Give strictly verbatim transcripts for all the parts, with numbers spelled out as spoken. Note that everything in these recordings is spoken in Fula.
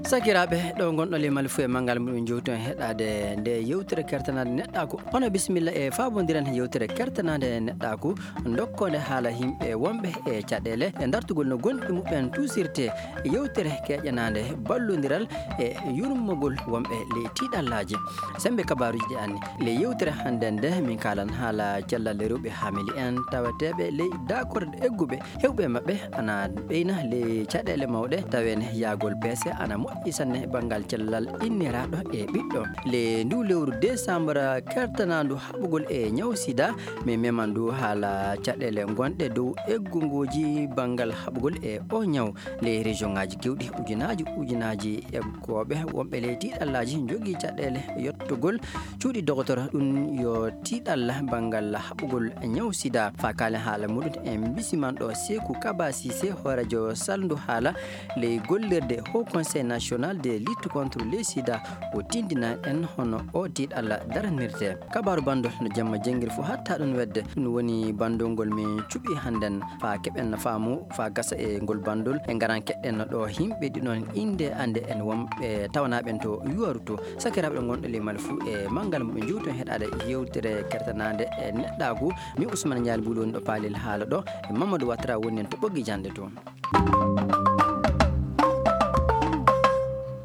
Sakiraaɓe, ɗo ngonɗon le Mali fuu e manngal muɗum, jowti on heɗaade nde yewtere kertanaade neɗɗaaku. Hono bisimilla e faabondiren yewtere kertanaade neɗɗaaku, ndokkoonde haala yimɓe wonɓe e caɗeele e dartugol no gonɗi muɓɓen tuusirte. Yewtere keƴanaande ballondiral e yurmogol wonɓe ley tiiɗallaaji. Semmbe kabaaruuji ɗi anni le yewtere hannden nde, min kaalan haala cellal rewɓe haamili en taweteeɓe ley daakorɗe egguɓe. Heewɓe maɓɓe ana ɓeyna ley caɗeele mawɗe, taweene yahgol peese ana moƴƴi sanne banngal cellal inniraaɗo e ɓiɗɗo. Le ndu lewru desambra kertanaandu haɓugol e ñaw sida, min meman ndu haala caɗeele gonɗe dow eggungooji banngal haɓugol e o ñaw. Ley région ŋaaji keewɗi, ujunaaji ujunaaji eggooɓe wonɓe ley tiiɗallaaji njogii caɗeele yottugol cuuɗi dogotoro. Ɗum yo tiiɗalla banngal haɓugol ñaw sida. Faa kaalen haala muɗum, en mbisiman ɗo Seeku Kaba Siise, hooreejo salndu haala ley gollirde Haut Conseil National de lutte contre le sida. O tindina en hono o tiiɗalla daranirte. Kabaaru banndol no jamma jengiri fuu hatta ɗum wedde. Ɗum woni banndol ngol min cuɓi hannden. Faa keɓen faamu, faa gasa e ngol banndol, en ngaran keɗɗen no ɗo yimɓe ɗiɗon innde annde en wonɓe tawanaaɓe en to Yuwaru to. Sakiraaɓe ɓe ngonɗo ley Mali fuu e manngal muɓɓe, jowti on heɗaade yewtere kertanaande e neɗɗaagu. Mi Usman Ñaali Buulu woni ɗo paalel haala ɗo, e Mamadou Wattara woni en to ɓoggi jannde to.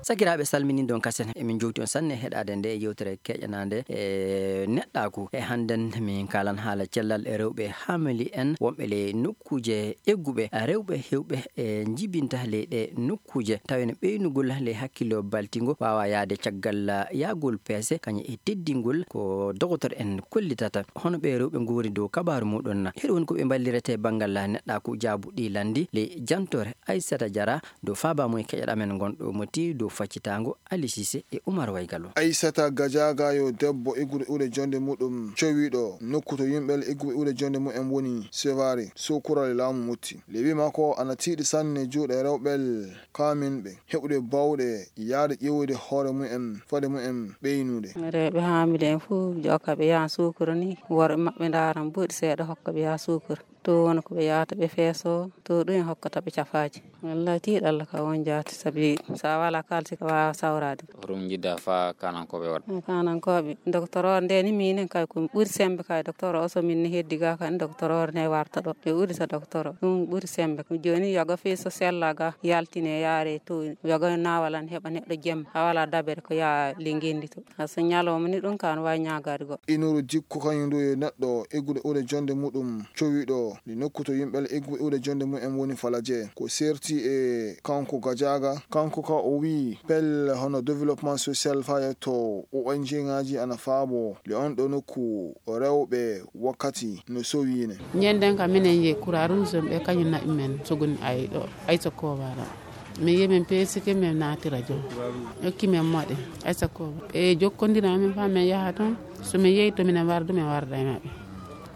Sakiraaɓe, salminiiɗon kasen, emin jowti on sanne heɗaade nde yewtere keƴanaande e neɗɗaagu. E hannden min kaalan haala cellal e rewɓe haamili en wonɓe ley nokkuuje egguɓe, rewɓe heewɓe e njibinta ley ɗe nokkuuje. Tawi no ɓeynugol ley hakkillo baltingo waawa yahde caggal yahgol peese, kañum e teddingol ko dogotoro en kollitata. Hono ɓe rewɓe nguuri dow kabaaru muɗum na? Hiɗo woni ko ɓe mballirete banngal neɗɗaaku, jaabu ɗi lanndi ley jantoore Aissata Diarra. Dow faaba mum e keƴal amen ngonɗo moti dow faccitaango Ali Sise e Umar Waygalo. Aissata Gadiaga yo debbo iggude iwde jonde muɗum cowiiɗo nokku to yimɓe igguɓe iwde jonde mumen woni Sevare, Sokura e laamu Motti. Le wiima ko ana tiiɗi sanne juuɗe rewɓe kaaminɓe heɓude bawɗe yahde ƴeewoyde hoore mumen fade mumen ɓeynude. Rewɓe haamile en fuu jokka ɓe yaha Sokura ni, worɓe maɓɓe ndaara mbuuɗi seeɗa hokka ɓe yaha Sokura. To woni ko ɓe yahata ɓe feeso, to ɗum en hokkata ɓe cafaaji. Wallahi tiiɗalla ka won jaati, sabi sa wala kaalisi ka waawa sawraade. Hoɗum njiɗɗa faa kaanankooɓe waɗa? Kaanankooɓe, docteur o nde ni minen kay ko ɓuri semmbe kay docteur o, so min ne heddi ga kan docteur o ne warta ɗo. Ɓe ɓuri sa docteur o, ɗum ɓuri semmbe. Jooni yoga fii so sella ga yaltine yaare to yoga nawalan heɓa neɗɗo jemma. A wala dabere ko yaa le ngendi to. A so ñalawma ni ɗum kan waawi ñaagaade goɗɗo. Inuru jikku kañum ndu e neɗɗo eggude iwde jonde muɗum cowiiɗo ndi nokku to yimɓe egguɓe iwde jonde mumen woni Falaje. Ko serti e kanko Gadiaga, kanko ka o wii pelle hono développement social faa yetto O N G ŋaaji ana faabo le on ɗo nokku rewɓe wakkati no sowiine. Ñanden ka minen ye Croix Rouge ɓe kañum naɓi men sogoni ay ɗo, ay so kowaara. Min yehi min peesike, min naati radio. Okki min moɗe. Ay sakko. E jokkondira min faa min yaha toon. So min yehi to minen wardu, min warda e maɓɓe.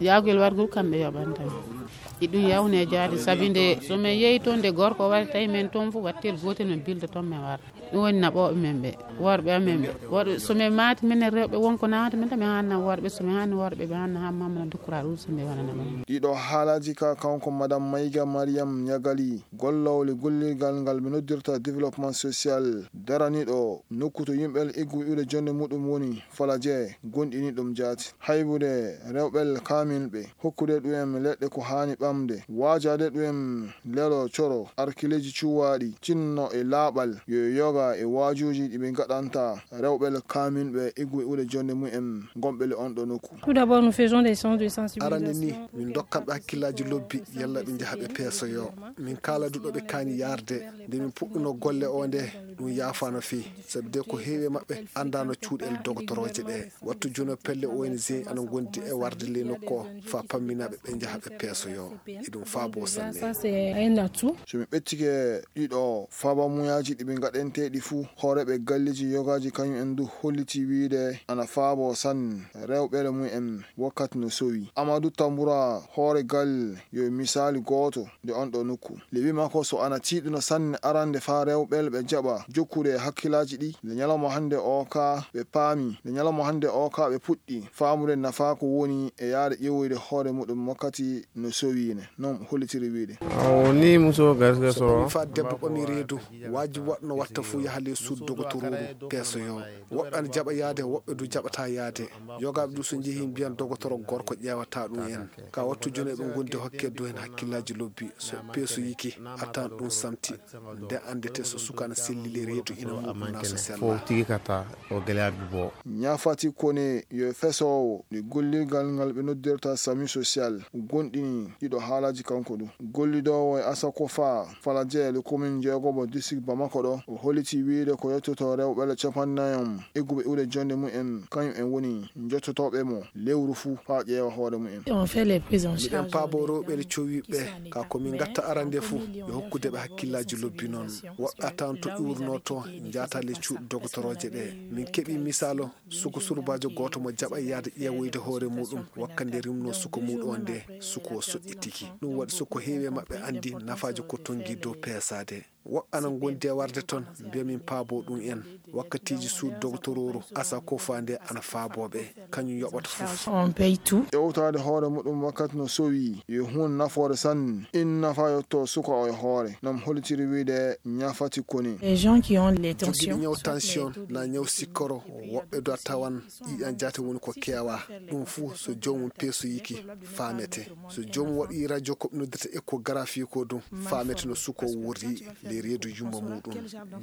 Yaagol wargol kamɓe yoɓanta min. E ɗum yawne jaade, sabi nde so min yehi toon, nde gorko wari tawi min toon fof, wattel gootel min bilda toon min warda. Ɗum woni naɓooɓe min ɓe, worɓe amen ɓe. Worɓe, so min maati minen rewɓe won ko naata min tan, min haanna worɓe, so min haanni worɓe, ɓe haanna haa mamma na dukkura ɗum so min wonana ɓe. Ɗiɗo haalaaji ka kanko Madame Maïga Mariam Niagali, gollowle gollirgal ngal ɓe noddirta développement social, daraniiɗo nokku to yimɓe eggu iwde jonde muɗum woni Falaje, gonɗini ɗum jaati. Haybude rewɓe kaaminɓe, hokkude ɗum leɗɗe ko haani ɓamde, waajaade ɗum lelo coro, arkileeji cuwaaɗi, cinno e laaɓal, yo yoga e waajuuji ɗi ɓe ngaɗanta rewɓe kaaminɓe eggu iwde jonde mumen gonɓe le on ɗo nokku. Tout d'abord, nous faisons des séances de sensibilisation. Arande ni, min ndokkanɓe hakkillaaji lobbi, yalla ɓe njaha ɓe peesoyo. Min kaala du ɗo ɓe kaani yaarde, nde min puɗɗuno golle o nde, ɗum yaafaano fii. Sabi de ko heewi e maɓɓe anndaano cuuɗel dogotoroje ɗe. Wattu juno pelle O N G ana ngondi e warde ley nokku o, faa pamminaaɓe ɓe njaha ɓe peesoyo. Eɗum faabo sanne. Ça, c'est un atout. So mi ɓettike ɗiɗo faabamuyaaji ɗi ɓe ngaɗanteeɗi fuu, hooreeɓe galleeji yogaaji kañum en du holliti wiide ana faabo sanne rewɓe mumen wakkati no sowi. Amadou Tambura, hoore galle, yo misaali gooto nde on ɗo nokku. Le wiima ko so ana tiiɗuno sanne arande faa rewɓe ɓe jaɓa jokkude e hakkillaaji ɗi, nde ñalawma hannde o ka ɓe paami, nde ñalawma hannde o ka ɓe puɗɗi faamude nafaa ko woni e yaade ƴeewoyde hoore muɗum wakkati no sowiine. Non hollitiri wiide. Awo ni muso gaske so. So ɓami faa debbo ɓami reedu, waajibi waɗno watta Yaha ley suudu dogotorooru peesoyoo. Woɓɓe ana jaɓa yahde, woɓɓe du jaɓataa yahde. Yogaaɓe du so njehii mbiyan dogotoro gorko ƴeewataa ɗum en. Ka wattu jooni eɓe ngondi hokke du heen hakkillaaji lobbi. So peesoyike, a tawan ɗum samti. Nde anndete so suka ana selli ley reedu ina muuɗum naa so sellaa. Tigi kata o gɛlɛya bi bɔ. Ɲafati Kone yo fesoowo ɗi gollirgal ngal ɓe noddirta Sami Social gonɗini ɗiɗo haalaaji kanko du. Gollidoowo e Asakofa Falaje e le commune jeegomo district Bamako ɗo, o holiti wiide ko yettoto rewɓe le capannayon egguɓe iwde jonde mumen, kañum en woni njottotooɓe mo lewru fuu faa ƴeewa hoore mumen. On fait les prises en Miɗen charge paabo rewɓe le cowiiɓe ɓe, ka ko min ngatta arande fuu, yo hokkude ɓe hakkillaaji lobbi noon. Woɓɓe a tawan to iwrunoo to, njaata le cuuɗi dogotorooje ɗe. Min keɓii misaalu, suko surbaajo gooto mo jaɓa yahde ƴeewoyde hoore muuɗum, wakkati nde rimnoo suko muuɗum on nde, suko o soƴƴitiki. Ɗum waɗi suko heewi e maɓɓe anndi nafaaji ko tonngi dow peesaade. Woɓɓe ana ngondi e warde toon, mbiya min paabo ɗum en. Wakkatiiji suudu dogotorooru Asakofa nde ana faaboo ɓe, kañum yoɓata fof. On paye tout. Ƴewtaade hoore muɗum wakkati no sowi, yo huunde nafoore sanne. In nafa yotto suka o e hoore. Nam holitiri wiide Ɲafati Kone. Les gens qui ont les Jogiiɓe tensions, ñaw soit tension, les taux na de ñaw sikkoro, woɓɓe do a tawan ƴiiƴan jaate woni ko keewa. Ɗum fuu so joomum peesoyike, faamete. So joomum waɗi radio ko ɓe noddirta échographie ko ɗum, faamete no suko wurri ley reedu yumma muuɗum.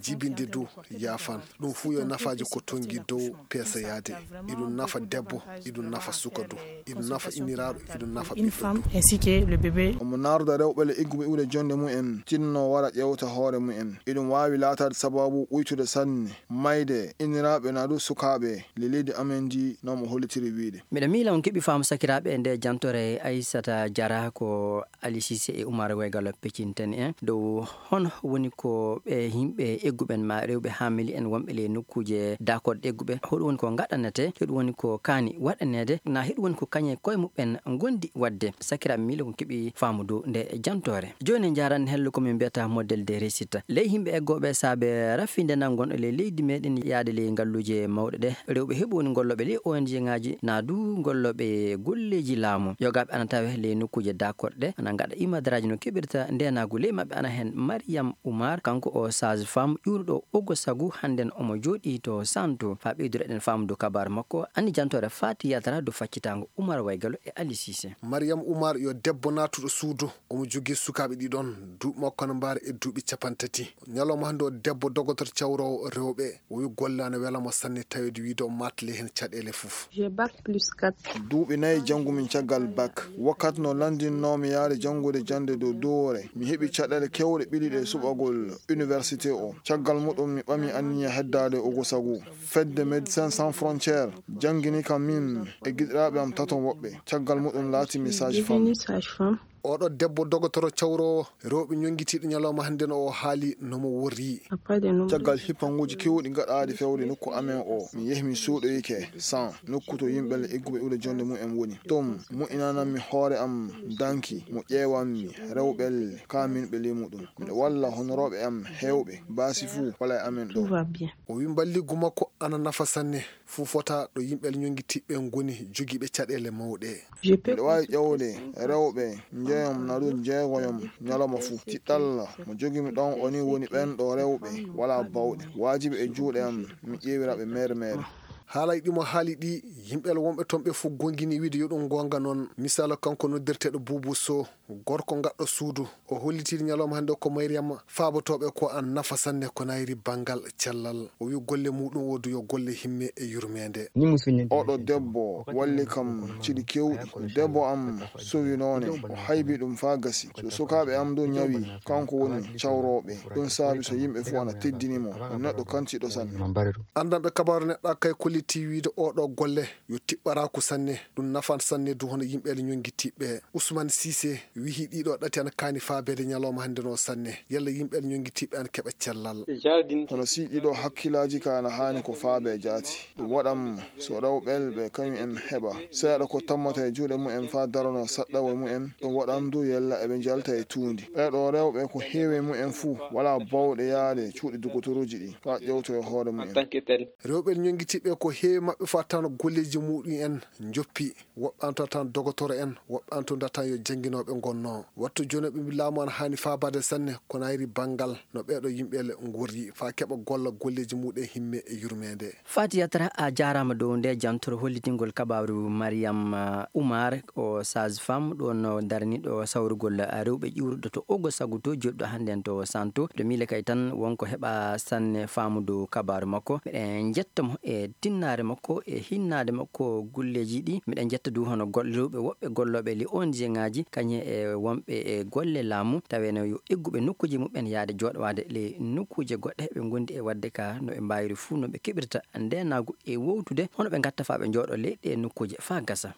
Jibinde du yaafan. Ɗum fuu yo nafaaji ko tonngi dow peesoyaade. Iɗum nafa debbo, iɗum nafa suka du. Iɗum nafa inniraaɗo, iɗum nafa une ɓiɗɗo femme du. Ainsi que le bébé. Omo narda rewɓe le egguɓe iwde jonde mumen, tinno wara ƴewta hoore mumen. Iɗum waawi laataade sababu uytude sanne, mayde, inniraaɓe naa du sukaaɓe le leydi amen ndi, no mo hollitiri wiide. Miɗa miila on keɓi faamu sakiraaɓe e nde jantore Aissata Diarra ko Ali Cissé e Oumar Waygalo peccinten en dow hono woni ko ɓe yimɓe egguɓen ma rewɓe haamili en wonɓe ley nokkuuje daakoɗe egguɓe, hoɗum woni ko ngaɗanete, hoɗum woni ko kaani waɗaneede, na hoɗum woni ko kañe koye muɓɓen ngondi waɗde. Sakiraaɓe miilo ko keɓi faamu dow nde jantore. Jooni en njaaran hello ko min mbiyata modèle de réussite. Ley yimɓe eggooɓe saabe rafinde nan gonɗo ley leydi meɗen yaade ley ngalluuje mawɗe ɗe, rewɓe heɓi woni gollooɓe ley O N G ŋaaji, na du gollooɓe golleeji laamu. Yogaaɓe ana tawe ley nokkuuje daakoɗe ɗe, ana ngaɗa imadaraaji no keɓirta ndeenaagu ley maɓɓe, ana heen Mariam Oumar, kanko o sage femme ƴuuruɗo Ogosagu, hannden omo jooɗii to Santo. Faa ɓeydude eɗen faamu dow kabaar makko, anndi jantoore faati yaltata dow faccitaango Oumar Waygalo e Ali Cissé. Mariam Oumar yo debbo naatuɗo suudu, omo jogii sukaaɓe ɗiɗon, duuɓi makko ana mbaari e duuɓi capantati. Ñalawma hannde o debbo dogotor cawroowo rewɓe, o wi golle ana wela mo sanne taweede wiide o maatale heen caɗeele fof. J'ai bac plus quatre. Duuɓi nayi janngumi caggal bac. Wakkati no lanndinnoomi yahde janngude jannde dow duwoore, mi heɓi caɗeele keewɗe ɓiliiɗe e suɓagol université o. Caggal muɗum mi ɓami anniya heddaade Ogosagu. Fedde Médecins Sans Frontières janngini kam min e giɗiraaɓe am taton woɓɓe. Caggal muɗum laatimi sage-femme. Devenu sage-femme. Oɗo debbo dogotoro cawroowo rewɓe ñonngitiiɗo ñalawma hannde no o haali no mo worri. Après de nombreuses Caggal hippanguuji keewɗi gaɗaaɗi fewde nokku amen o, mi yehi mi suuɗoyike San, nokku to yimɓe egguɓe iwde jonnde mumen woni. Toon, moƴƴinananmi hoore am danki, mo ƴeewanmi rewɓe kaaminɓe ley muɗum. Miɗo walla honorooɓe am heewɓe, baasi fuu wala e amen ɗo. Tout va bien. O wi mballigu makko ana nafa sanne. Fuu fota ɗo yimɓe ñonngitiiɓe ngoni jogiiɓe caɗeele mawɗe. Je peux Miɗo waawi ƴeewde rewɓe njoyom na ɗum jeegoyom ñalawma fuu. Tiɗɗalla mo jogimi ɗon o ni woni ɓen ɗo rewɓe walaa bawɗe. Waajibi e juuɗe am mi ƴeewira ɓe mere mere. Haalaaji ɗi mo haali ɗi, yimɓe wonɓe toon ɓe fof goongini wiide yo ɗum goonga noon. Misaalu kanko noddirteeɗo Buubu Sow, gorko gaɗɗo suudu, o hollitiiɗo ñalawma hannde ko Mariama faabotooɓe ko an nafa sanne ko nayri banngal cellal. O wi golle muɗum o du yo golle himme e yurmeende. Oɗo debbo walli kam ciɗi keewɗi. Debbo am sowinoone, o haybi ɗum faa gasi. So sukaaɓe am du ñawi, kanko woni cawrooɓe. Ɗum saabi so yimɓe fof ana teddini mo, o neɗɗo kantiiɗo sanne. Anndanɓe kabaaru neɗɗa kay kolliti wiide oɗo golle yo tiɓɓaraaku sanne, ɗum nafan sanne du hono yimɓe ñonngitiiɓe. Ousmane Cissé wihi ɗiɗo ɗati ana kaani faabeede ñalawma hannde no sanne. Yalla yimɓe ñonngitiiɓe ana keɓa cellal. Hono si ɗiɗo hakkilaaji ka ana haani ko faabe jaati. Ɗum waɗam so rewɓe ɓe kañum en heɓa seeɗa ko tammata e juuɗe mumen faa darano saɗɗawo mumen. Ɗum waɗam du yalla eɓe njalta e tuundi. Ɓeeɗo rewɓe ko heewi mumen fuu walaa bawɗe yaade cuuɗi dogotorooji ɗi faa ƴewtoyo hoore mumen. Rewɓe ñonngitiiɓe ko heewi maɓɓe fof tan golleeji muɗum en njoppi. Woɓɓe an tan tan dogotoro en, woɓɓe an tan tan yo jannginooɓe ngonnoo. Wattu jooni ɓe mbi laamu ana haani faabaade sanne ko nayri banngal no ɓeeɗo yimɓe le ngorri faa keɓa golla golleeji muɗum e himme e yurmeende. Fatiyata, a jaaraama dow nde jantoro hollitingol kabaaru Mariam, uh, Umar, o sage-femme, ɗo no daraniiɗo sawrugol, uh, rewɓe ƴuuruɗo to Ogo Saguto, joɗɗo hannde en to Santo. Ɗo miile kay tan wonko heɓa sanne faamu dow kabaaru makko. Miɗen njetta mo e tinnaare makko, e hinnaade makko golleeji ɗi. Miɗen njetta du hono gol-, rewɓe woɓɓe gollooɓe li O N G ŋaaji, kañum e wonɓe e golle laamu, taweeno yo egguɓe nokkuuji muɓɓen yaade jooɗowaade le nokkuuje goɗɗe, ɓe ngondi e waɗde ka no ɓe mbaawiri fuu, no ɓe keɓirta ndeenaagu e wowtude, hono ɓe ngatta faa ɓe njooɗo ley ɗe nokkuuje faa gasa.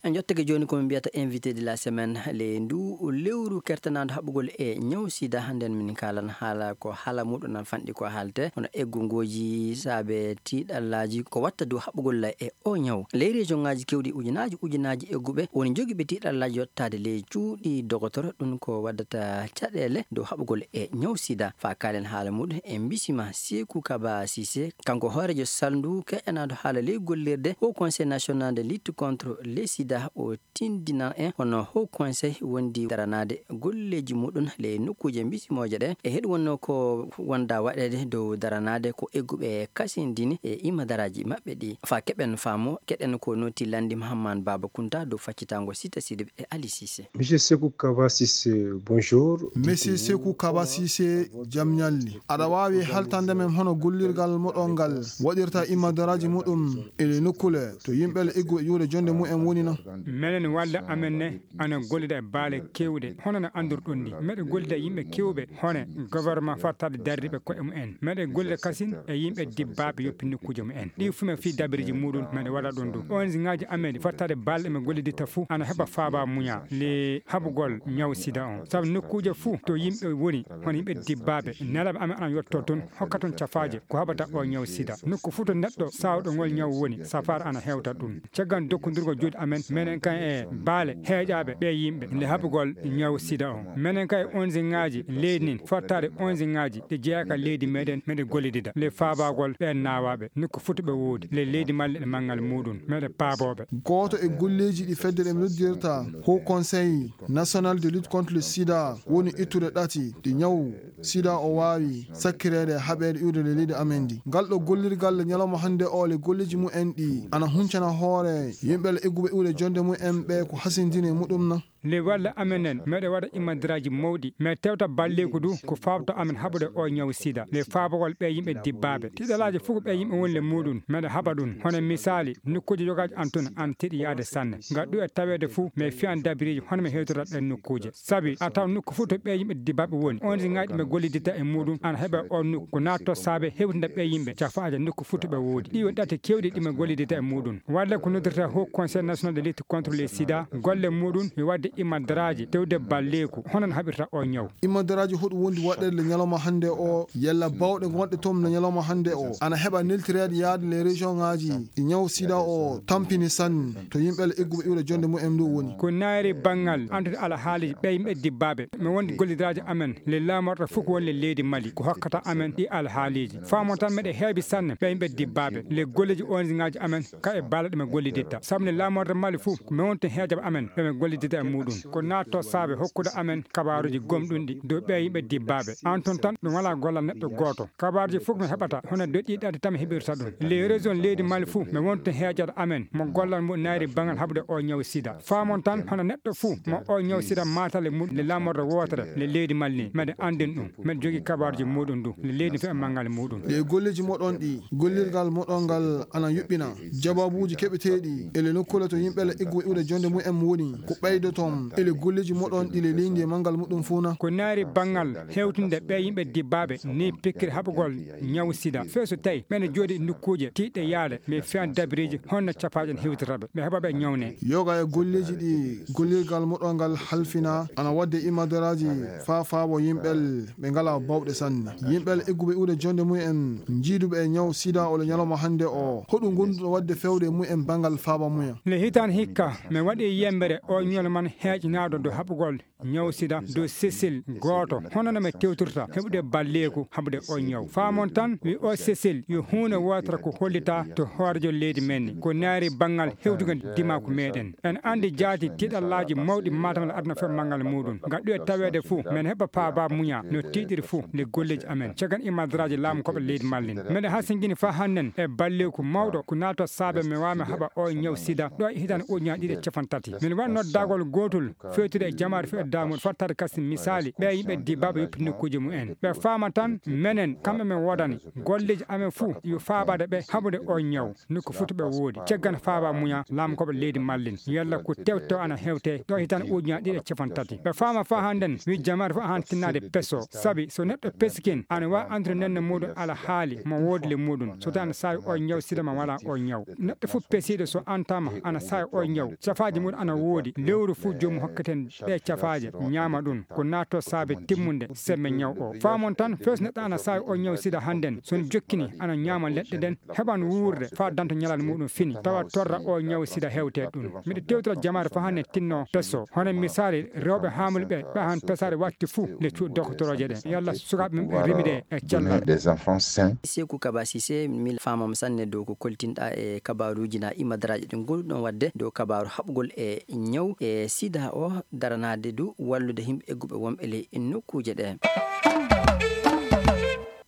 En jottake jooni ko min mbiyata invité de la semaine, le ndu lewru kertanaandu haɓugol e ñaw sida. Hannde en min kaalan haala ko haala muɗum nan fanɗi ko haalte, hono eggungooji saabe tiiɗallaaji ko watta dow haɓugol e o ñaw. Ley région ŋaaji keewɗi ujunaaji ujunaaji egguɓe woni jogiiɓe tiiɗallaaji yottaade ley cuuɗi dogotoro, ɗum ko waddata caɗeele dow haɓugol e ñaw sida. Faa kaalen haala muɗum, en mbisima Seeku Kaba Sise, kanko hooreejo salndu keƴanaado haala ley gollirde Haut Conseil National de Lutte contre le Sida, o tindinan en hono Haut Conseil wondi daranaade golleeji muɗum ley nokkuuje mbisimooje ɗe. E heɗu wonno ko wonda waɗeede dow daranaade ko egguɓe kasindini e imadaraaji maɓɓe ɗi. Faa keɓen faamu, keɗen ko noti landi Mahamman Baba Kunta dow faccitango Sita Sidibé e Ali Sise. Monsieur Sekou Kaba Sise, bonjour. Monsieur Sekou Kaba Sise, jam ñalli. Aɗa waawi haltande men hono gollirgal moɗon ngal waɗirta imadaraaji muɗum e le nokkule to yimɓe le egguɓe ƴuure jonde mumen woni na? Menen walla amen ne ana gollida e baale keewɗe, hono no anndirɗon ni. Meɗe gollida e yimɓe keewɓe, hono gouvernement fattaade darriiɓe ko'e mumen. Meɗe gollida kasin e yimɓe dibbaaɓe yoppi nokkuuje mumen. Ɗi fuu men fii dabiriji muɗum, meɗe waɗa ɗum du. O N G ŋaaji amen fattaade baale ɗe men golliditta fuu, ana heɓa faaba muña le haɓugol ñaw sida on. Sabu nokkuuje fuu to yimɓe woni, hono yimɓe dibbaaɓe, nelaaɓe amen ana yotto toon, hokka toon cafaaje ko haɓata o ñaw sida. Nokku fuu to neɗɗo saawɗo ngol ñaw woni, safaara ana hewta ɗum. Caggal dokkondirgol juuɗe amen, menen kan e baale heeƴaaɓe ɓe yimɓe nde haɓugol ñaw sida on. Menen kan e O N G ŋaaji leydi ndin, fottaade O N G ŋaaji ɗi jeyaa ka leydi meɗen, meɗe gollidida le faabagol ɓeen naawaaɓe, nokku fuu to ɓe woodi, le leydi malla e manngal muɗum, meɗe paabooɓe. Gooto e golleeji ɗi fedde ɗe noddirta Haut Conseil National de Lutte contre le Sida woni ittude ɗati ɗi ñaw sida o waawi sakkireede haɓeede iwde le leydi amen ndi. Ngal ɗo gollirgal le ñalawma hannde o le golleeji mumen ɗi ana huncana hoore yimɓe le egguɓe iwde jonde mumen ɓe ko hasindini e muɗum na? Le walla amen en, meɗe waɗa imadiraaji mawɗi, mais tewta balleeku du ko faabto amen haɓude o ñaw sida, le faabagol ɓe yimɓe dibbaaɓe. Tiɗalaaji fof ko ɓe yimɓe woni le muɗum, meɗe haɓa ɗum. Hono misaali, nokkuuji yogaaji an tun ana tiiɗi yaade sanne. Ngal ɗu e taweede fuu, mais fiyan dabiriiji hono mi hewtora ɗen nokkuuje. Sabi a taw nokku fuu to ɓee yimɓe dibbaaɓe woni, on si ŋaaji ɓe golliditta e muɗum ana heɓa on nokku. Ko naatto saabe hewtinda ɓee yimɓe cafaaje nokku fuu to ɓe woodi. Ɗi woni ɗate keewɗi ɗi ɓe golliditta e muɗum. Walla ko noddirta Haut Conseil National de Lutte contre le Sida, golle muɗum yo waɗde imadaraaji tewde balleeku, hono no haɓirta o ñaw. Imadaraaji hoɗum wondi waɗeede le ñalawma hannde o, yalla bawɗe gonɗe toon le ñalawma hannde o ana heɓa neltireede yaade le région ŋaaji ɗi ñaw sida o tampini sanne to yimɓe le egguɓe iwde jonde mumen ɗo woni. Ko naayri banngal antude alhaaliiji ɓe yimɓe dibbaaɓe. Mi wondi gollidiraaji amen le laamorɗe fof ko woni le leydi Mali ko hokkata amen ɗi alhaaliiji. Faamo tan meɗe heewi sanne ɓe yimɓe dibbaaɓe le golleeji onziŋaaji amen ka e baala ɗi mi golliditta. Sabu nde laamorde Mali fof ko mi woni toon heejaɓe amen ɓe mi golliditta e muɗum. Ko naatto saabe hokkude amen kabaaruuji gomɗunɗi dow ɓe yimɓe dibbaaɓe. An toon tan ɗum walaa gollal neɗɗo gooto. Kabaaruuji fof ko mi heɓata hono doƴƴiiɗi ɗaɗi tan mi heɓirta ɗum. Les régions leydi Mali fof mi woni toon heejaɗo amen mo gollal mum naayri banngal haɓude o ñaw sida. Faamon tan hono neɗɗo fof mo o ñaw sida maatale mum le laamorde wootere le leydi Mali ni meɗe anndin ɗum. Meɗe jogii kabaaruuji muɗum du le leydi fof e manngal muɗum. Ɗe golleeji moɗon ɗi gollirgal moɗon ngal ana yuɓɓina jabaabuuji keɓeteeɗi e le nokkuule to yimɓe le egguɓe iwde jonde mumen woni ko ɓeydoton e le golleeji moɗon ɗi le leydi e manngal muɗum fof na? Ko naayri banngal hewtinde ɓe yimɓe dibbaaɓe ni pikkiri haɓugol ñaw sida. Fee so tawi meɗe jooɗi nokkuuje tiiɗɗe yaade mi fiyan dabiriiji honno capaaje en hewtirta ɓe mi heɓa ɓe ñawne. Yoga e golleeji ɗi gollirgal moɗon ngal halfina ana waɗde imadaraaji faa faabo yimɓe ɓe ngalaa bawɗe sanne. Yimɓe egguɓe iwde jonde mumen jiiduɓe e ñaw sida o le ñalawma hannde o hoɗum gonduɗo waɗde fewde e mumen banngal faaba mumen? Le hitaande hikka mi waɗi yembere o ñoolo man heeƴnaaɗo dow haɓugol ñaw sida dow sesel gooto, hono no mi tewtirta heɓude balleeku haɓude o ñaw. Faamon tan, wi o sesel yo huunde wootere ko hollita to hoorejo leydi men ni, ko naari banngal hewtugol dimaku meɗen. En anndi jaati tiiɗallaaji mawɗi Matam e aduna fof manngal muɗum. Ngal ɗuwe taweede fuu, men heɓa faaba muña no tiiɗiri fuu le golleeji amen. Caggal imadraaji laamu koɓe leydi Mallin. Meɗen hasingini faa hannden e balleeku mawɗo ko naato saabe mi waami haɓa o ñaw sida ɗo e hitande ujunaaji ɗiɗi e cappanɗe tati. Min waɗ noddagol gootol fewtude e jamaare fof e damuɗo fof tawde kasi misaali ɓe yimɓe dibaaɓe yoppi nokkuuji mumen. Ɓe faama tan menen kamɓe men woodani golleeji amen fuu yo faabaade ɓe haɓude o ñaw. Nokku fuu to ɓe woodi. Caggal faaba muña laamu koɓe leydi Mallin. Yalla ko tewto ana hewte ɗo hitande ujunaaji ɗiɗi e cappanɗe tati. Ɓe faama faa hannden wi jamaare fof ahan tinnaade peso. Sabi so neɗɗo pesikin ana waawi andude nenne muɗum ala haali mo woodi le muɗum. So tawi ana saawi o ñaw sida ma wala o ñaw. Neɗɗo fof pesiiɗo so antama ana saawi o ñaw. Cafaaji muɗum ana woodi. Lewru fof joomum hokketen ɗe cafaaje ñaama ɗum. Ko naatto saabe timmunde sembe ñaw o. Faamon tan fees neɗɗo ana saawi o ñaw sida hannden. So jokkini ana ñaama leɗɗe ɗen heɓan wuurde faa danta ñalal muɗum fini. Tawa torra o ñaw sida hewte ɗum. Miɗo tewtira jamaare faa hannde tinno peso. Hono misaali rewɓe haamulɓe ɓe han pesaade watti fuu le cuuɗi doktorooje ɗen. Yalla sukaaɓe men ɓe rimide e cellal. Des enfants sains. Seeku Kaba Sise, mi faamam sanne dow ko koltinɗa e kabaaruuji na imadraaji ɗi ngol ɗon waɗde dow kabaaru haɓugol e ñaw e sida o daranaade du wallude yimɓe egguɓe wonɓe ley nokkuuje ɗe.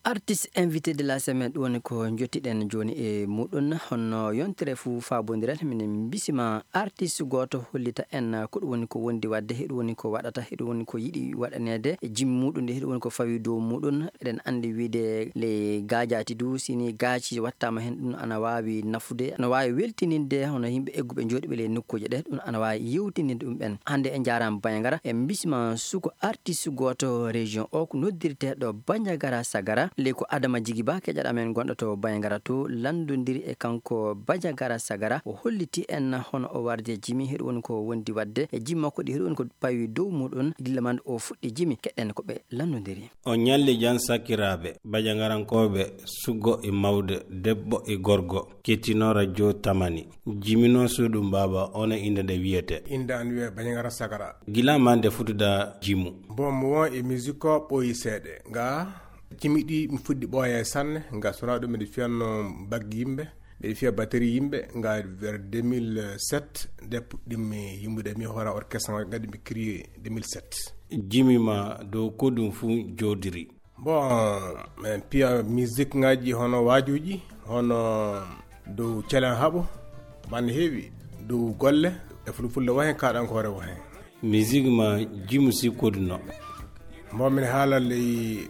Artiste invité de la semaine, ɗum woni ko jottiɗen jooni e muɗum. Honno yontere fuu faabondiral, minen mbisima artiste gooto hollita en ko ɗum woni ko wondi waɗde, heɗum woni ko waɗata, heɗum woni ko yiɗi waɗaneede e jimmi muɗum, nde heɗum woni ko fawi dow muɗum. Eɗen anndi wiide ley gaajaati du, sini gaaci wattaama heen, ɗum ana waawi nafude, ana waawi weltininde hono yimɓe egguɓe jooɗiiɓe ley nokkuuje ɗe, ɗum ana waawi yewtininde ɗum ɓen. Hannde en njaaraama Banjagara, en mbisima suko artiste gooto région o ko noddirteeɗo Banjagara Sagara. Ley ko Adama Jigi Ba, keƴaɗo amen gonɗo to Banjagara to, lanndondiri e kanko Banjagara Sagara. O holliti en hono o wardi e jimi, heɗum woni ko wondi waɗde e jimi makko ɗi, heɗum woni ko pawi dow muɗum, gilla mande o fuɗɗi jimi. Keɗen ko ɓe lanndondiri. O ñalli jam sakiraaɓe, Banjagarankooɓe, suggo e mawde, debbo e gorgo, kettino radio Tamani. Jimino suuɗum baaba, on e innde nde wiyete. Innde an wiyee Banjagara Sagara. Gila ma nde futuɗa jimu? Bon, mo won e musique o ɓooyi seeɗa. Nga jimi ɗi mi fuɗɗi ɓooye sanne, nga sona ɗum miɗo fiyanno baggi yimɓe, miɗo fiya batterie yimɓe, nga vers deux mille sept, nde puɗɗimmi yimɓude mi hoora orchestre, nga ɗum mi créé deux mille sept. Jimi ma dow ko ɗum fuu jooɗiri? Bon, min piya musique ngaji hono waajuuji, hono dow celen haɓo, man heewi, dow golle, e fulfulde wo heen, kaaɗankoore wo heen. Musique ma jimu si koduno? Bon, min haala ley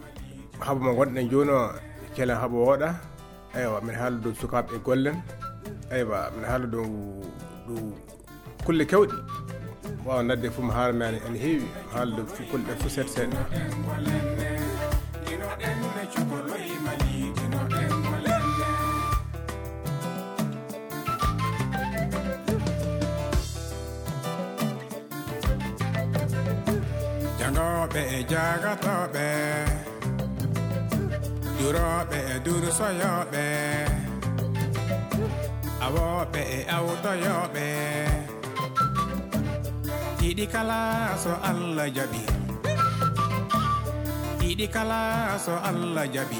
haɓo mo ngonɗen jooni o, celen haɓo wooɗa. Eywa, min haala dow sukaaɓe e gollen. Eywa, min haala dow, dow kulle kewɗe. Waawa nadde fof mi haala mi ene heewi, mi haala ɗo fof kulle ɗe fof seeɗa seeɗa. Jangooɓe e jagatooɓe, durooɓe e dursoyooɓe, awooɓe e awtoyooɓe. Ɗiɗi kala so Allah jaɓi. Ɗiɗi kala so Allah jaɓi.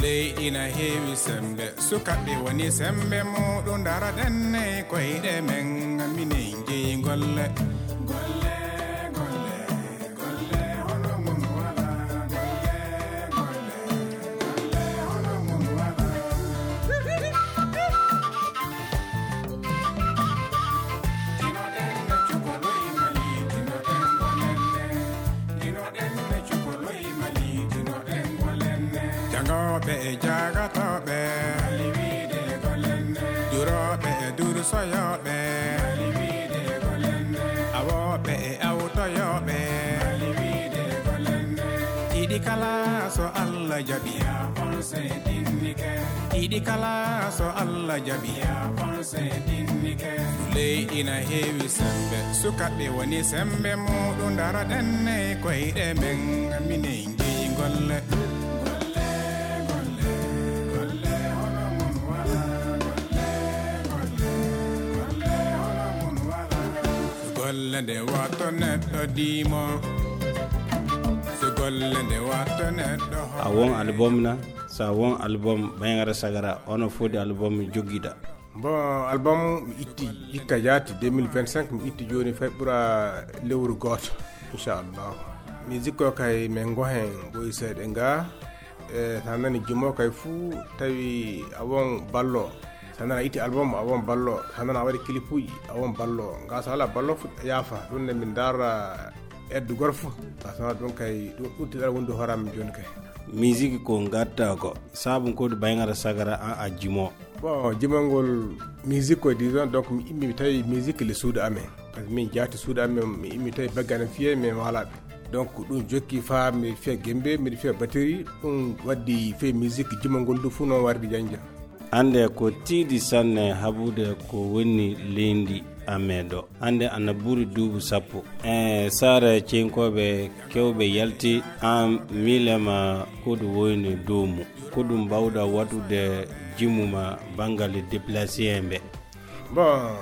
Leydi na heewi sembe, sukaaɓe woni sembe muɗum, dara denne koyɗe men, minen jeyi golle. Golle, golle. Jangooɓe e jagatooɓe, durooɓe e dursoyooɓe, awooɓe e awtoyooɓe. Ɗiɗi kala so Allah jaɓi. Ɗiɗi kala so Allah jaɓi. Leydi na heewi sembe, sukaaɓe woni sembe muɗum, dara denne koyɗe men, minen jeyi golle. Golle, golle, golle, hono mun wala. Golle, golle, golle, hono mun wala. Nde wato neɗɗo diimo, so golle nde wato neɗɗo a won album na, sa won album Bayngara Sagara, ono fodi album jogiɗa? Bon, album mi itti hikka jaati deux mille vingt-cinq, mi itti jooni fay ɓura lewru gooto, inchallah. Musique o kay min ngohen ɓoyi seeɗa nga. E sa nani jimo kay fuu tawi a won ballo. Sa nana itti album a won ballo. Sa nana a waɗi clipuji a won ballo. Nga sa ala ballo fu yaafa. Ɗum ne min dara eddu gorfo. Sa sana ɗum kay ɗum ɓurti ɗaɗa wonde hoorami jooni kay. Musique ko gatta ko. Sabu ko ɗum Bayngara Sagara an a jimo. Bon, jimol ngol musique ko disons, donc mi immi mi tawi musique le suudu amen. Par ce que min jaati suudu amen, mi immi tawi bagge amen fiye men walaɓe. Donc ɗum jokki fa mi fiya gembe, miɗo fiya batterie, ɗum waddi fe musique jimol ngol du fu noon wardi janja. Ande ko tiiɗi sanne habude ko woni leydi amen ɗo. Hannde ana ɓuri duuɓi sappo. E saare cenkooɓe kewɓe yalti, aan miilema ko ɗum woyni dow mum. Ko ɗum mbaawɗa waɗude jimuma banngal déplacé en ɓe? Bon,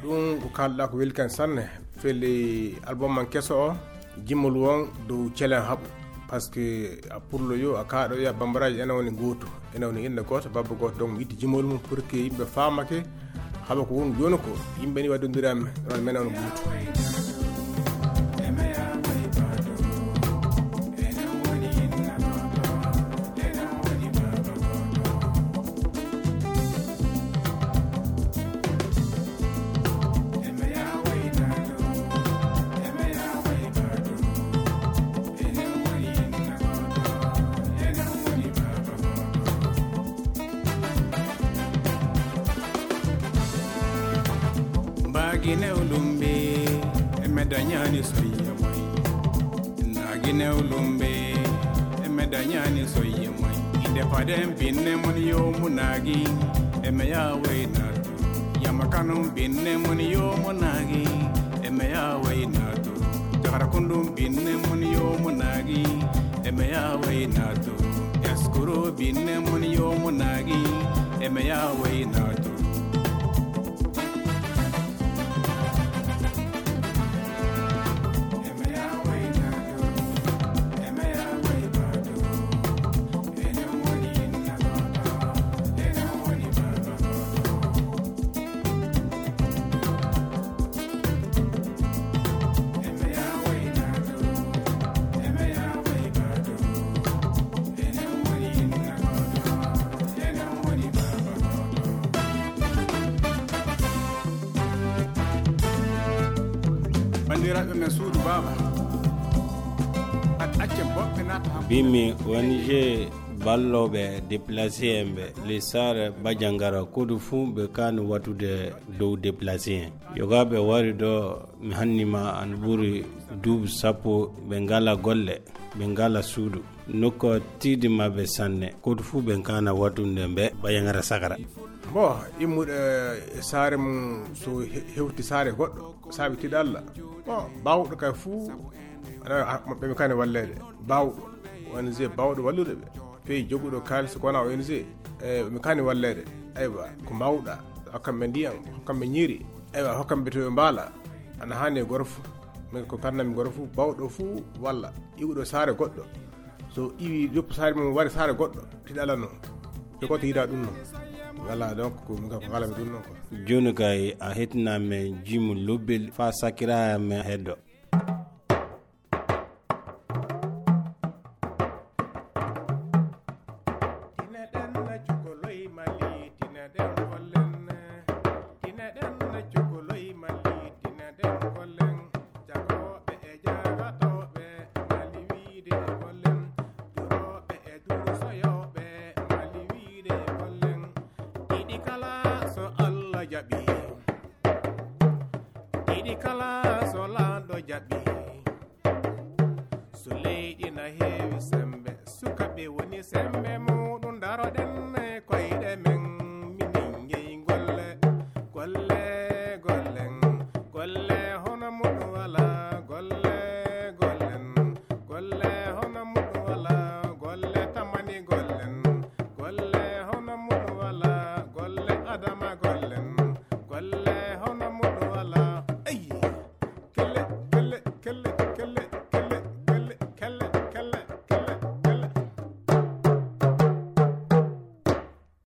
ɗum ko kaalɗa ko weli kan sanne. Feli album man keso o, jimol won dow celen haɓu. Par ce que a pullo yo, a kaaɗo yo, a bambaraaji ene woni gootu. Ene woni innde gooto, babba gooto. Donc mi itti jimol mum pour que yimɓe faamake haɓa ko woni jooni ko. Yimɓe ni waddondiraami, ɗon menen on gootu. Mbaagi newlumbe, e me dañaani soyya moy. Naagi newlumbe, e me dañaani soyya moy. Inde paden binne mon yo mu naagi, e me ya waynaatu. Yama kanum binne mon yo mu naagi, e me ya waynaatu. Jagara kundum binne mon yo mu naagi, e me ya waynaatu. Eskuru binne mon yo mu naagi, e me ya waynaatu. Banndiraaɓe men suudu baaba, at accen boɓɓe naata han. Bimmi O N G ballooɓe déplacé en ɓe, les Sare Bajangara, kodu fuu ɓe kaani watude dow déplacé en. Yogaaɓe wari ɗo, mi hanni ma an ɓuri duuɓi sappo, ɓe ngala golle, ɓe ngala suudu. Nokku tiiɗi maɓɓe sanne, kodu fuu ɓe kaana watunde mbe Bajangara Sagara. Bon, immuɗo e saare mum, so he-, hewti saare goɗɗo, saabi tiiɗa Allah. Bon, baawɗo kay fuu, aɗa, a, ɓe mi kaani walleede. Baawɗo, O N G baawɗo wallude ɓe. Fey joguɗo kaalis ko wona O N G, e, ɓe mi kaani walleede. Aywa, ko mbaawɗa, hokkan ɓe ndiyam, hokkan ɓe ñiiri. Aywa, hokkan ɓe to ɓe mbaala. Ana haani e goro fuu. Min ko kannami goro fuu, baawɗo fuu walla. Iwɗo saare goɗɗo. So iwi yoppu saare mum wari saare goɗɗo, tiɗala noon. Te goɗɗo yiɗa ɗum noon. Voilà, donc, ko min kam ko ngalami ɗum noon ko. Jooni kay a hettinaa men jimu lobbel faa sakkiraa men heddo. Tine ɗen cukoloy Mali, tine ɗen gollen. Tine ɗen cukoloy Mali, tine ɗen gollen. Jagooɓe e jagatooɓe, Mali wiide gollen. Durooɓe e dursoyooɓe, Mali wiide gollen. Ɗiɗi kala so Allah jaɓi. Ɗiɗi kala so laamɗo jaɓi. So leydi na heewi sembe, sukaɓe woni sembe muuɗum, daroɗen e koyɗe men, minen jeyi golle, golle, gollen, golle hono muɗum wala, golle, gollen, golle hono muɗum wala, golle tamani gollen, golle hono muɗum wala, golle adama gollen, golle hono muɗum wala. Ey!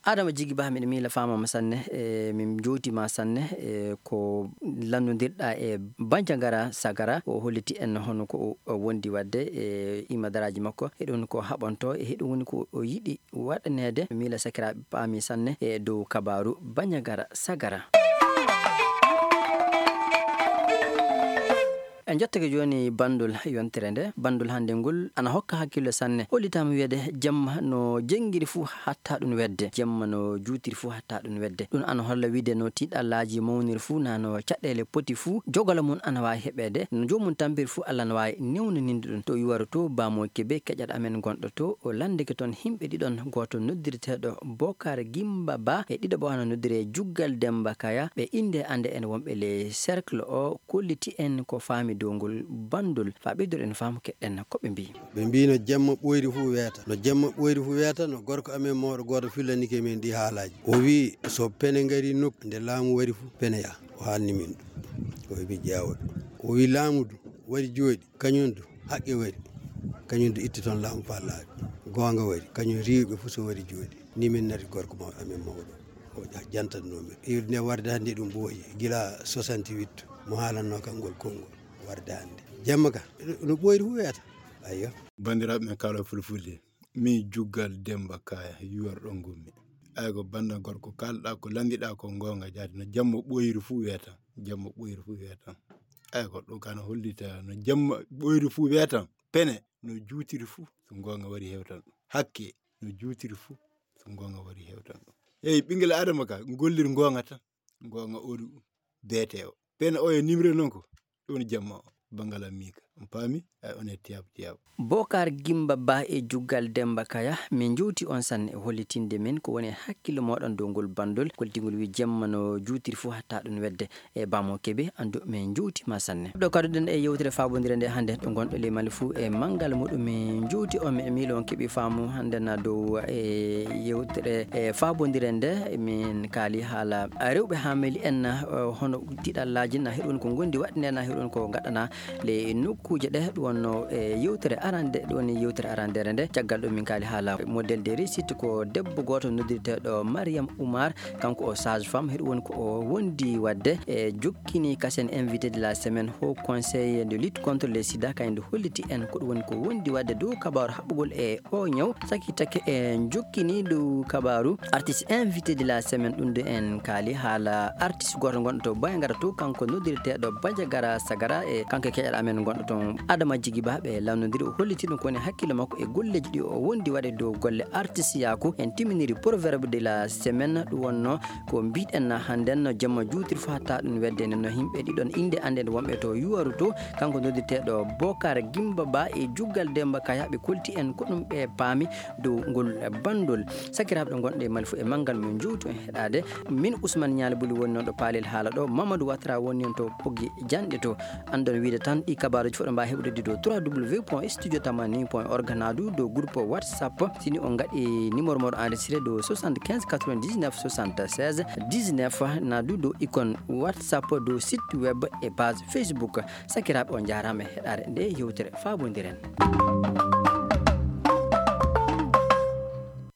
Adama Jigi Ba, miɗo miila faamama sanne, e min jowti ma sanne, e ko lannondirɗa e Banjagara Sagara, o holliti en hono ko o, o wondi wadde e imadaraji makko, e ɗum ko haɓanto, e heɗum woni ko o yiɗi waɗaneede. Miila sakiraaɓe paami sanne e dow kabaaru Banjagara Sagara. En jottake jooni bandol yontere nde. Bandol hannde ngol ana hokka hakkille sanne. Hollitaama wiyede jemma no jenngiri fuu hatta ɗum wedde. Jemma no juutiri fuu hatta ɗum wedde. Ɗum ana holla wiyde no tiiɗallaaji mawniri fuu, na no caɗeele poti fuu, jogala mum ana waawi heɓeede. No joomum tampiri fuu, Allah ana waawi newnaninde ɗum. To yuwaro to, Bamo Kebe, keƴaɗo amen gonɗo to, o lanndike toon yimɓe ɗiɗon, gooto noddirteeɗo Bokar Gimba Ba, e ɗiɗo ɓo ana noddiree Juggal Demba Kaya, ɓe innde annde en wonɓe le cercle o, kolliti en ko faami dow ngol bandol. Faa ɓeydoɗen faamu, keɗɗen ko ɓe mbii. Ɓe mbii no jemma ɓooyri fuu weeta. No jemma ɓooyri fuu weeta, no gorko amen mawɗo gooto fillanike min ɗi haalaaji. O wii so pene ngari nokku nde laamu wari fuu, pene yaha. O haalni min ɗum. O wii mi ƴeewa ɗum. O wii laamu du wari jooɗi, kañum du haqqe wari. Kañum du itti toon laamu faa laaɓi. Goonga wari, kañum riiwɓe fuu so wari jooɗi. Ni min nari gorko mawɗo amen mawɗo. O ja-, jantatnoo min. Iwde nde warde hannde ɗum ɓooyi. Gila soixante-huit mo haalannoo kam ngol konngol. Warde hannde. Jemma ka, no ɓooyri fuu weeta. Ayyo. Banndiraaɓe men kaalooɓe fulfulde, min Juggal Demba Kaya, yuwarɗo ngummi. Ay ko bannda gorko, kaalɗa ko, lanndiɗa ko goonga jaati, no jamma ɓooyri fuu weetan, jamma ɓooyri fuu weetan. Ay ko ɗum kana hollita, no jamma ɓooyri fuu weetan, pene no juutiri fuu, so goonga wari hewtan ɗum. Hakke no juutiri fuu, so goonga wari hewtan ɗum. Hey, ɓinngel Adama ka, gollir goonga tan, goonga oɗu beete o. Pene o e nimre noon ko, ɗum woni jamma o, banngal am miika. On paami? Ay, on e tiyab tiyab. Bokar Gimba Ba e Juggal Demba Kaya, min jowti on sanne e hollitinde min ko woni e hakkille mooɗon dow ngol bandol, koltingol wi jemma no juutiri fuu hatta ɗum wedde. E Bamo Kebe, anndu min jowti ma sanne. Ɗo kaɗuɗen e yewtere faabondire nde hannde, ɗo ngonɗo le Mali fuu e manngal muɗum, min jowti on, mi miilo on keɓi faamu hannde na dow e yewtere e faabondire nde, min kaali haala rewɓe haameli en, eh, hono tiɗallaaji na heɗon ko ngondi waɗde nde, na heɗon ko ngaɗana le nokkuuje ɗe. Ɗum wonno e yewtere arande, ɗum woni yewtere arandere nde. Caggal ɗum min kaali haala modèle de réussite ko debbo gooto noddirteeɗo Mariam Oumar, kanko o sage femme, heɗum woni ko o wondi waɗde e jokkini kasen invité de la semaine, Haut Conseil de lutte contre le sida, kañum nde holliti en ko ɗum woni ko wondi waɗde dow kabaaru haɓugol e o ñaw. Saki take e jokkini dow kabaaru artiste invité de la semaine, ɗum de en kaali haala artiste gooto gonɗo to Banjagara to, kanko noddirteeɗo Banjagara Sagara, e kanko e keƴal amen gonɗo toon Adama Jigi Ba, ɓe lannondiri, o holliti ɗum ko woni hakkille makko e golleeji ɗi o wondi waɗde dow golle artiste yaaku. En timminiri proverbe de la semaine, ɗum wonno ko mbiɗen na hannden no jemma juutiri fo hatta ɗum wedde nde no yimɓe ɗiɗon innde annden wonɓe to yuwaru to, kanko noddirteeɗo Bokar Gimba Ba e Juggal Demba Kaya, ɓe kolti en ko ɗum ɓe paami dow ngol bandol. Sakiraaɓe ɓe ngonɗe e Mali fof e manngal min jowtu en heɗaade. Min Ousmane Nialy Bouly woni noon ɗo paalel haala ɗo. Mamadou Ouattara woni noon to Poggi Janɗe to. Anndon wiide tan ɗi kabaaruuji fof ɗo mbaawi heɓude ɗi dow trois W point studio tamani point org, na du dow groupe WhatsApp. Sini on ngaɗi numéro moɗo enregistré dow soixante-quinze quatre-vingt-dix-neuf soixante-seize dix-neuf, na du dow icône WhatsApp, dow site web e page Facebook. Sakiraaɓe, on njaaraama e heɗaade nde yewtere faabondiren.